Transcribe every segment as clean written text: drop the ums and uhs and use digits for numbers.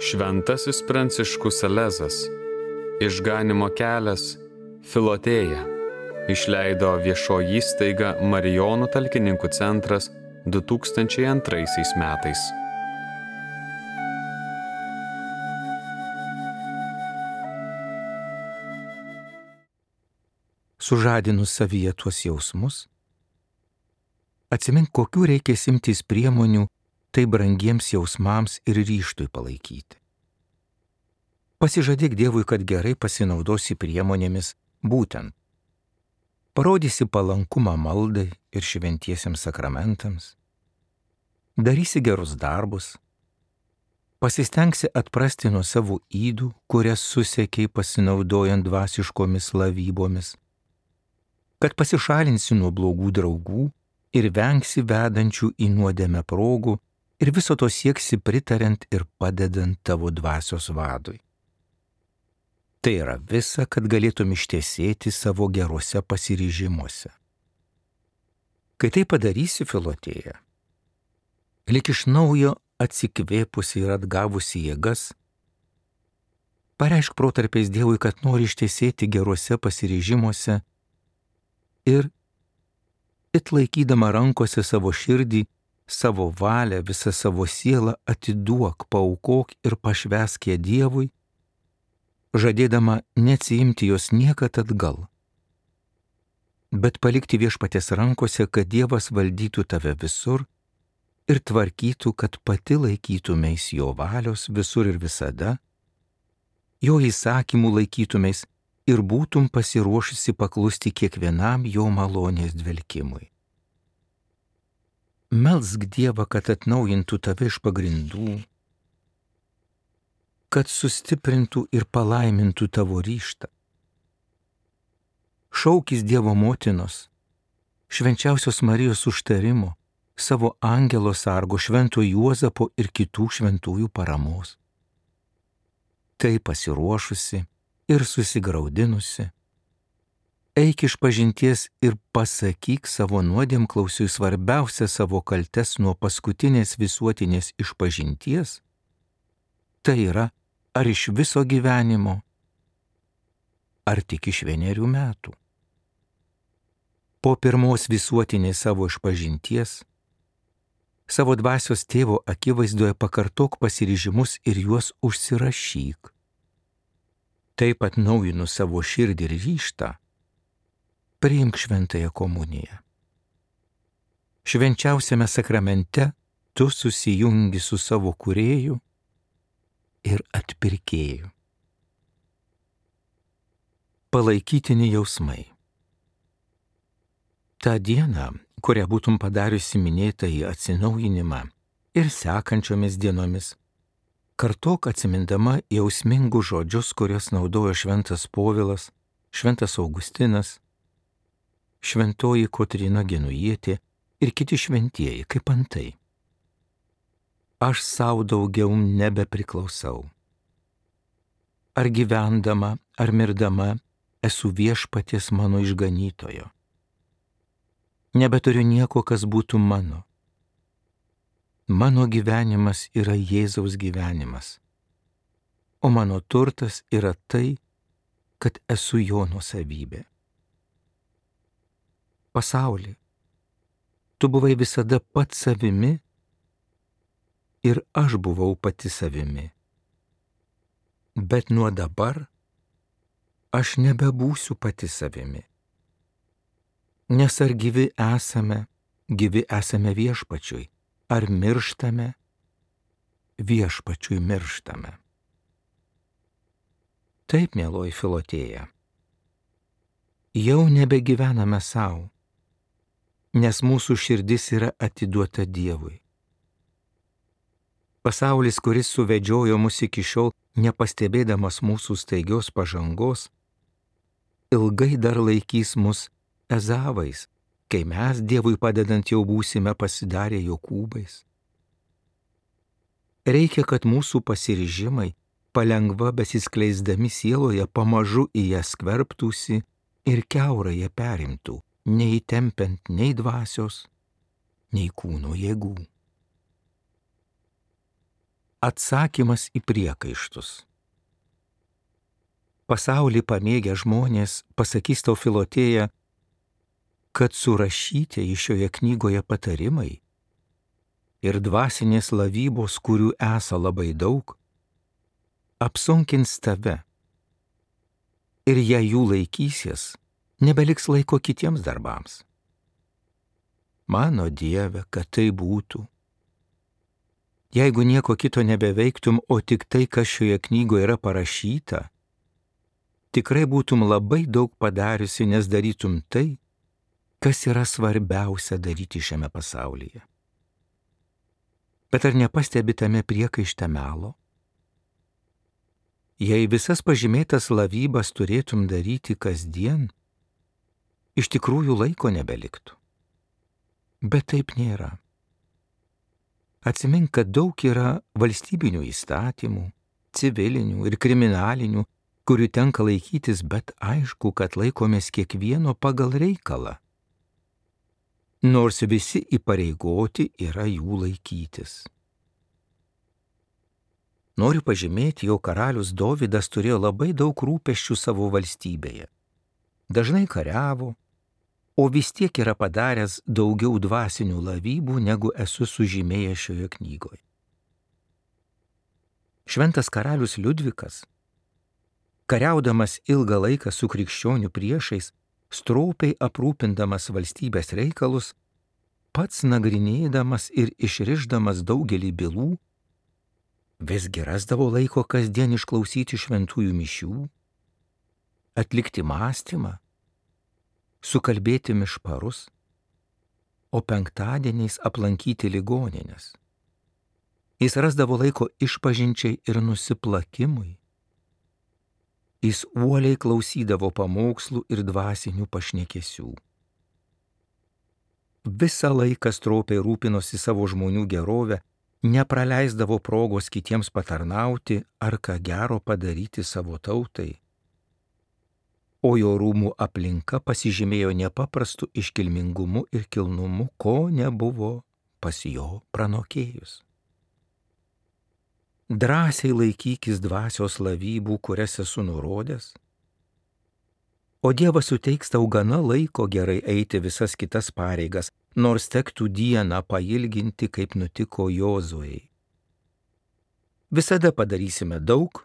Šventasis Pranciškus Salezas, Išganymo kelias, Filotėja, išleido viešoji įstaiga Marijonų talkininkų centras 2002 metais. Sužadinus savyje tuos jausmus, atsimink, kokių reikia imtis priemonių tai brangiems jausmams ir ryžtui palaikyti. Pasižadėk Dievui, kad gerai pasinaudosi priemonėmis, būtent parodysi palankumą maldai ir šventiesiems sakramentams, darysi gerus darbus, pasistengsi atprasti nuo savo ydų, kurias susekiai pasinaudojant dvasiškomis lavybomis, kad pasišalinsi nuo blogų draugų ir vengsi vedančių į nuodėmę progų ir viso to sieksi pritariant ir padedant tavo dvasios vadui. Tai yra visa, kad galėtum ištiesėti savo geruose pasiryžimuose. Kai tai padarysi, Filotėja, lyg iš naujo atsikvėpusi ir atgavusi jėgas, pareišk protarpiais Dievui, kad nori ištiesėti geruose pasiryžimuose ir it laikydama rankose savo širdį, savo valią, visą savo sielą atiduok, paaukok ir pašvęsk ją Dievui, žadėdama neatsiimti jos niekad atgal, bet palikti Viešpaties rankose, kad Dievas valdytų tave visur ir tvarkytų, kad pati laikytumeis jo valios visur ir visada, jo įsakymų laikytumeis ir būtum pasiruošusi paklusti kiekvienam jo malonės dvelkimui. Melsk Dievą, kad atnaujintų tave iš pagrindų, kad sustiprintų ir palaimintų tavo ryžtą. Šaukis Dievo motinos, švenčiausios Marijos užtarimo, savo angelo sargo, švento Juozapo ir kitų šventųjų paramos. Tai pasiruošusi ir susigraudinusi, eik iš pažinties ir pasakyk savo nuodėmklausiui svarbiausią savo kaltes nuo paskutinės visuotinės išpažinties, tai yra, ar iš viso gyvenimo, ar tik iš 1 metų. Po pirmos visuotinės savo išpažinties, savo dvasios tėvo akivaizdoje pakartok pasiryžimus ir juos užsirašyk. Taip atnaujinu savo širdį ir ryžtą, priimk šventąją komuniją. Švenčiausiame sakramente tu susijungi su savo kūrėju ir atpirkėju. Palaikytini jausmai. Ta diena, kurią būtum padariusi minėtąjį atsinaujinimą ir sekančiomis dienomis, kartok atsimindama jausmingus žodžius, kuriuos naudojo šventas Povilas, šventas Augustinas, šventoji Kotryna Genujietė ir kiti šventieji, kaip antai. Aš sau daugiau nebepriklausau. Ar gyvendama, ar mirdama, esu Viešpaties mano išganytojo. Nebeturiu nieko, kas būtų mano. Mano gyvenimas yra Jėzaus gyvenimas, o mano turtas yra tai, kad esu jo nuosavybė. Pasauli, tu buvai visada pats savimi ir aš buvau pati savimi. Bet nuo dabar aš nebebūsiu pati savimi. Nes ar gyvi esame Viešpačiui, ar mirštame, Viešpačiui mirštame. Taip, mieloji Filotėja, jau nebegyvename savo, nes mūsų širdis yra atiduota Dievui. Pasaulis, kuris suvedžiojo mus iki šiol, nepastebėdamas mūsų staigios pažangos, ilgai dar laikys mus Ezavais, kai mes Dievui padedant jau būsime pasidarę Jokūbais. Reikia, kad mūsų pasiryžimai palengva besiskleisdami sieloje pamažu į ją skverbtųsi ir kiaurai ją perimtų, neįtempiant nei dvasios, nei kūno jėgų. atsakymas į priekaištus. Pasaulį pamėgę žmonės pasakys tau, Filotėja, kad surašyti šioje knygoje patarimai ir dvasinės lavybos, kurių esą labai daug, apsunkins tave. Ir jei jų laikysies, nebeliks laiko kitiems darbams. Mano Dieve, kad tai būtų. Jeigu nieko kito nebeveiktum, o tik tai, kas šioje knygoje yra parašyta, tikrai būtum labai daug padariusi, nes darytum tai, kas yra svarbiausia daryti šiame pasaulyje. Bet ar nepastebi tame priekaište melo? Jei visas pažymėtas lavybas turėtum daryti kasdien, iš tikrųjų laiko nebeliktų. Bet taip nėra. Atsimink, kad daug yra valstybinių įstatymų, civilinių ir kriminalinių, kurių tenka laikytis, bet aišku, kad laikomės kiekvieno pagal reikalą. Nors visi įpareigoti yra jų laikytis. Noriu pažymėti, jog karalius Dovydas turėjo labai daug rūpesčių savo valstybėje. Dažnai kariavo, o vis tiek yra padaręs daugiau dvasinių lavybų, negu esu sužymėjęs šioje knygoje. Šventas karalius Liudvikas, kariaudamas ilgą laiką su krikščionių priešais, stropiai aprūpindamas valstybės reikalus, pats nagrinėdamas ir išrišdamas daugelį bylų, visgi rasdavo laiko kasdien išklausyti šventųjų mišių, atlikti mąstymą, sukalbėti mišparus, o penktadieniais aplankyti ligonines. Jis rasdavo laiko išpažinčiai ir nusiplakimui. Jis uoliai klausydavo pamokslų ir dvasinių pašnekesių. Visą laiką stropiai rūpinosi savo žmonių gerovę, nepraleisdavo progos kitiems patarnauti ar ką gero padaryti savo tautai. O jo rūmų aplinka pasižymėjo nepaprastu iškilmingumu ir kilnumu, ko nebuvo pas jo pranokėjus. Drąsiai laikykis dvasios lavybų, kurias esu nurodęs, o Dievas suteiks tau gana laiko gerai eiti visas kitas pareigas, nors tektų dieną pailginti, kaip nutiko Jozuei. Visada padarysime daug,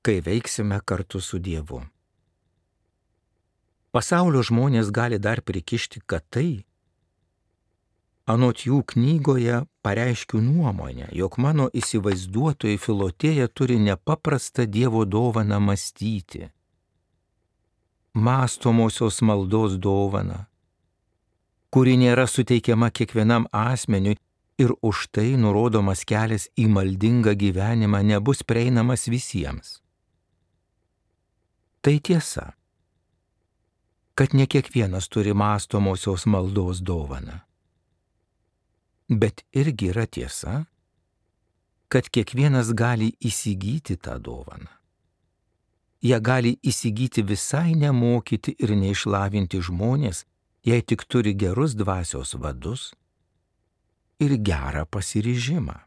kai veiksime kartu su Dievu. Pasaulio žmonės gali dar prikišti, kad tai, anot jų knygoje pareiškiu nuomonę, jog mano įsivaizduotojai Filotėja turi nepaprastą Dievo dovaną mąstyti, mąstomosios maldos dovaną, kuri nėra suteikiama kiekvienam asmeniui ir už tai nurodomas kelias į maldingą gyvenimą nebus prieinamas visiems. Tai tiesa, kad ne kiekvienas turi mąstomosios maldos dovaną. Bet irgi yra tiesa, kad kiekvienas gali įsigyti tą dovaną. Ją gali įsigyti visai nemokyti ir neišlavinti žmonės, jei tik turi gerus dvasios vadus ir gerą pasiryžimą.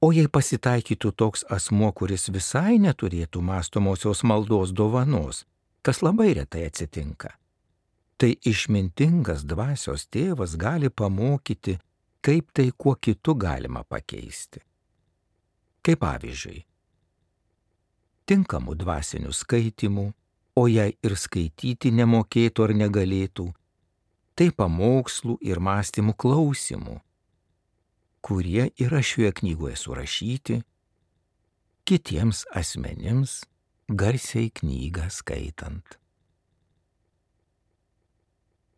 O jei pasitaikytų toks asmuo, kuris visai neturėtų mąstomosios maldos dovanos, kas labai retai atsitinka, tai išmintingas dvasios tėvas gali pamokyti, kaip tai kuo kitu galima pakeisti. Kaip pavyzdžiui, tinkamų dvasinių skaitimų, o jei ir skaityti nemokėtų ar negalėtų, tai pamokslų ir mąstymų klausimų, kurie yra šioje knygoje surašyti, kitiems asmenims garsiai knygą skaitant.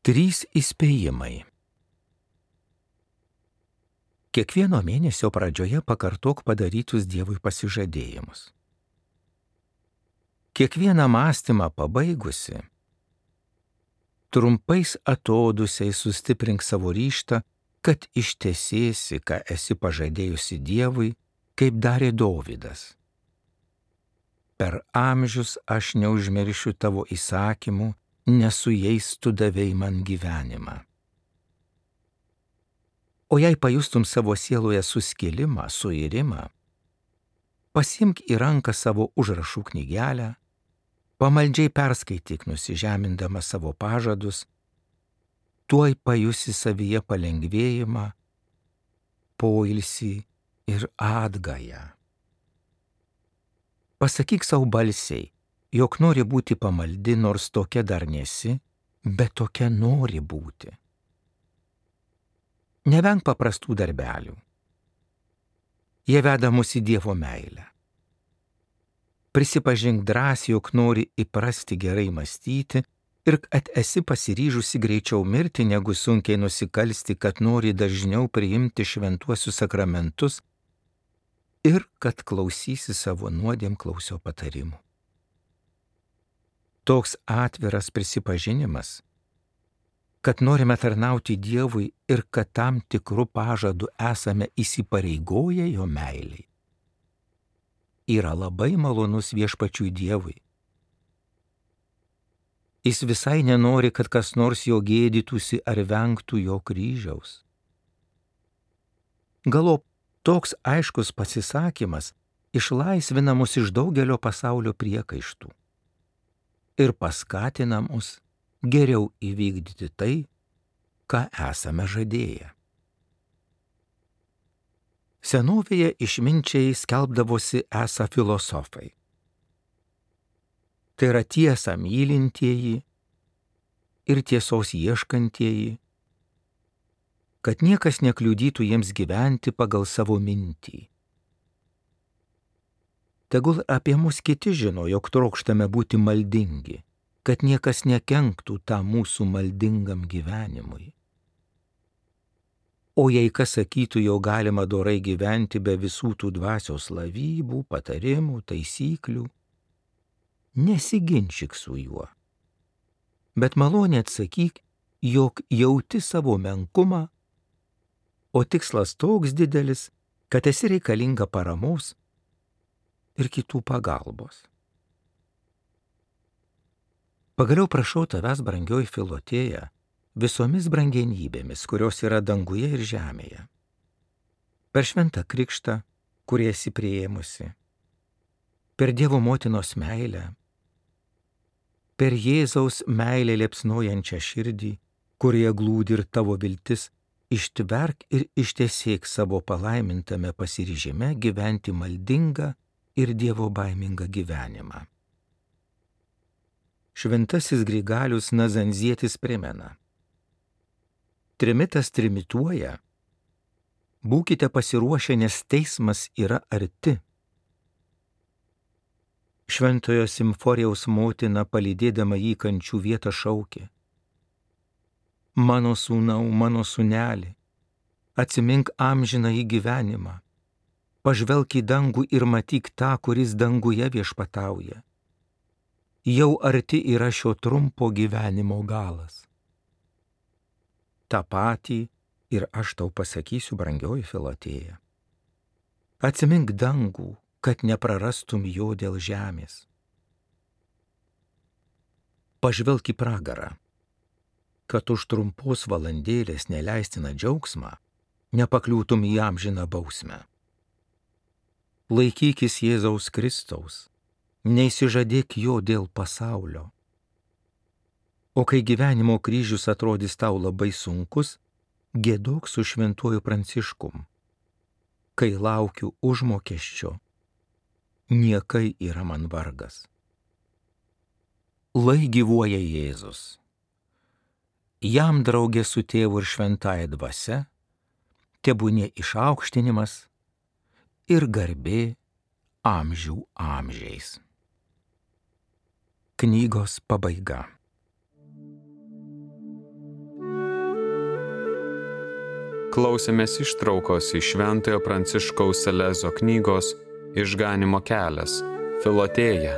3 įspėjimai. Kiekvieno mėnesio pradžioje pakartok padarytus Dievui pasižadėjimus. Kiekvieną mąstymą pabaigusi, trumpais atodusiais sustiprink savo ryžtą, kad ištesėsi, ką esi pažadėjusi Dievui, kaip darė Dovydas. Per amžius aš neužmiršiu tavo įsakymų, nes su jais tu davei man gyvenimą. O jei pajustum savo sieloje suskilimą, suirimą, pasimk į ranką savo užrašų knygelę, pamaldžiai perskaityk nusižemindama savo pažadus, tuoj pajusi savyje palengvėjimą, poilsį ir atgają. Pasakyk savo balsiai, jog nori būti pamaldi, nors tokia dar nesi, bet tokia nori būti. Nevenk paprastų darbelių. Jie veda mus į Dievo meilę. Prisipažink drąsiai, jog nori įprasti gerai mąstyti ir kad esi pasiryžusi greičiau mirti, negu sunkiai nusikalsti, kad nori dažniau priimti šventuosius sakramentus ir kad klausysi savo nuodėmklausio patarimų. Toks atviras prisipažinimas, kad norime tarnauti Dievui ir kad tam tikrų pažadų esame įsipareigoję jo meiliai, yra labai malonus viešpačiui Dievui. Jis visai nenori, kad kas nors jo gėdytųsi ar vengtų jo kryžiaus. Galop toks aiškus pasisakymas išlaisvina mus iš daugelio pasaulio priekaištų ir paskatina mus geriau įvykdyti tai, ką esame žadėję. Senovėje išminčiai skelbdavosi esą filosofai. Tai yra tiesą mylintieji ir tiesos ieškantieji, kad niekas nekliudytų jiems gyventi pagal savo mintį. Tegul apie mus kiti žino, jog trokštame būti maldingi, kad niekas nekenktų tą mūsų maldingam gyvenimui. O jei kas sakytų, jau galima dorai gyventi be visų tų dvasios lavybų, patarimų, taisyklių, nesiginčyk su juo, bet maloniai atsakyk, jog jauti savo menkumą, o tikslas toks didelis, kad esi reikalinga paramos ir kitų pagalbos. Pagaliau prašau tavęs, brangioji Filotėja, visomis brangenybėmis, kurios yra danguje ir žemėje, per šventą krikštą, kurį esi priėmusi, per Dievo motinos meilę, per Jėzaus meilę liepsnojančią širdį, kurioje glūdi ir tavo viltis, ištverk ir ištiesėk savo palaimintame pasiryžime gyventi maldingą ir Dievo baimingą gyvenimą. Šventasis Grigalius Nazanzietis primena: trimitas trimituoja, būkite pasiruošę, nes teismas yra arti. Šventojo Simforijaus motina, palydėdama jį kančių vietą, šaukė: mano sūnau, mano sūneli, atsimink amžiną į gyvenimą, pažvelk į dangų ir matyk tą, kuris danguje viešpatauja. Jau arti yra šio trumpo gyvenimo galas. Ta patį ir aš tau pasakysiu, brangioji Filotėja. Atsimink dangų, kad neprarastum jo dėl žemės. Pažvelk į pragarą, kad už trumpos valandėlės neleistiną džiaugsmą nepakliūtum į amžiną bausmę. Laikykis Jėzaus Kristaus, neįsižadėk jo dėl pasaulio. O kai gyvenimo kryžius atrodys tau labai sunkus, giedok su šventuoju Pranciškum. Kai laukiu užmokesčio, niekai yra man vargas. Lai gyvuoja Jėzus. Jam draugė su tėvu ir šventąja dvasia, tebūnie išaukštinimas ir garbė amžių amžiais. Knygos pabaiga. Klausėmės ištraukos iš Šventojo Pranciškaus Salezo knygos Išganymo kelias – Filotėja,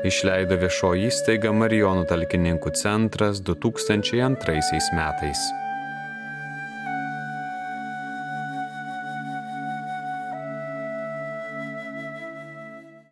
išleido viešoji įstaiga Marijonų talkininkų centras 2002 metais.